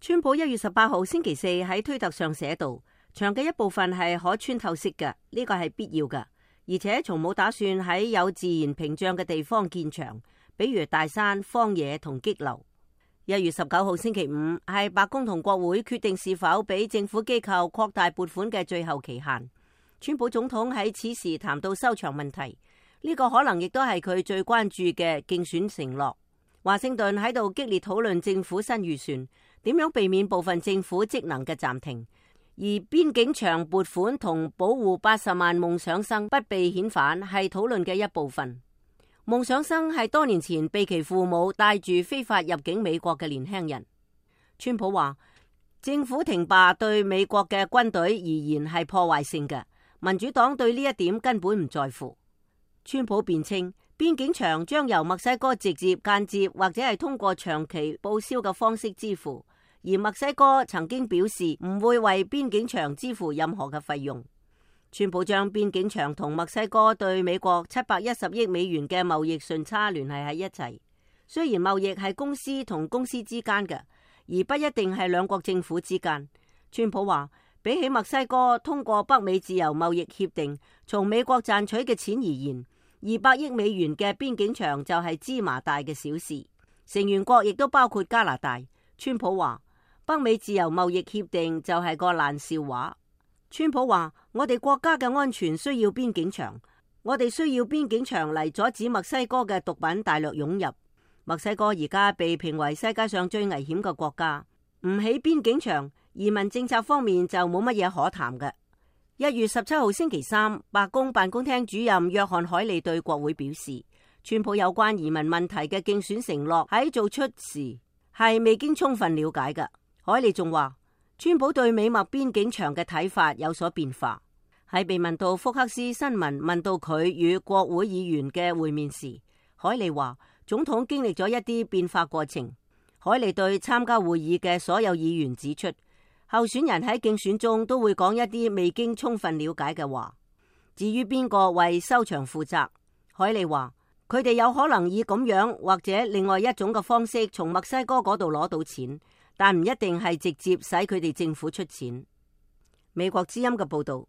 川普1月18號星期四喺推特上寫道，牆嘅一部分係可穿透式嘅，呢個係必要嘅，而且從冇打算喺有自然屏障嘅地方建牆，比如大山、荒野同激流。1月19號星期五係白宮同國會決定是否俾政府機構擴大撥款嘅最後期限。川普總統喺此時談到收場問題，呢個可能亦都係佢最關注嘅競選承諾。華盛頓喺度激烈討論政府新預算，點樣避免部分政府職能嘅暫停，而邊境牆撥款同保護80萬夢想生不被遣返係討論嘅一部分。夢想生係多年前被其父母帶住非法入境美國嘅年輕人。川普話，政府停罷對美國嘅軍隊而言係破壞性嘅，民主黨對呢一點根本唔在乎。川普辯稱，邊境牆將由墨西哥直接、間接或者係通過長期報銷嘅方式支付，而墨西哥曾經表示唔會為邊境牆支付任何嘅費用。川普將邊境牆同墨西哥對美國710億美元嘅貿易順差聯繫喺一齊。雖然貿易係公司同公司之間嘅，而不一定係兩國政府之間。川普話，比起墨西哥通過北美自由貿易協定從美國賺取嘅錢而言，200億美元嘅邊境牆就係芝麻大嘅小事。成員國亦都包括加拿大。川普話，北美自由貿易協定就係個爛笑話。川普話，我哋國家嘅安全需要邊境牆，我哋需要邊境牆嚟阻止墨西哥嘅毒品大量湧入。墨西哥而家被評為世界上最危險嘅國家，唔起邊境牆，移民政策方面就冇乜嘢可談嘅。1月17號星期三，白宮辦公廳主任約翰凱利對國會表示，川普有關移民問題嘅競選承諾喺做出時係未經充分了解嘅。凱利仲話，川普對美墨邊境牆嘅睇法有所變化。喺被問到福克斯新聞問到佢與國會議員嘅會面時，凱利話，總統經歷咗一啲變化過程。凱利對參加會議嘅所有議員指出，候選人喺競選中都會講一啲未經充分了解嘅話。至於邊個為收場負責，凱利話，佢哋有可能以咁樣或者另外一種嘅方式從墨西哥嗰度攞到錢，但唔一定係直接使佢哋政府出錢。美國之音嘅報道。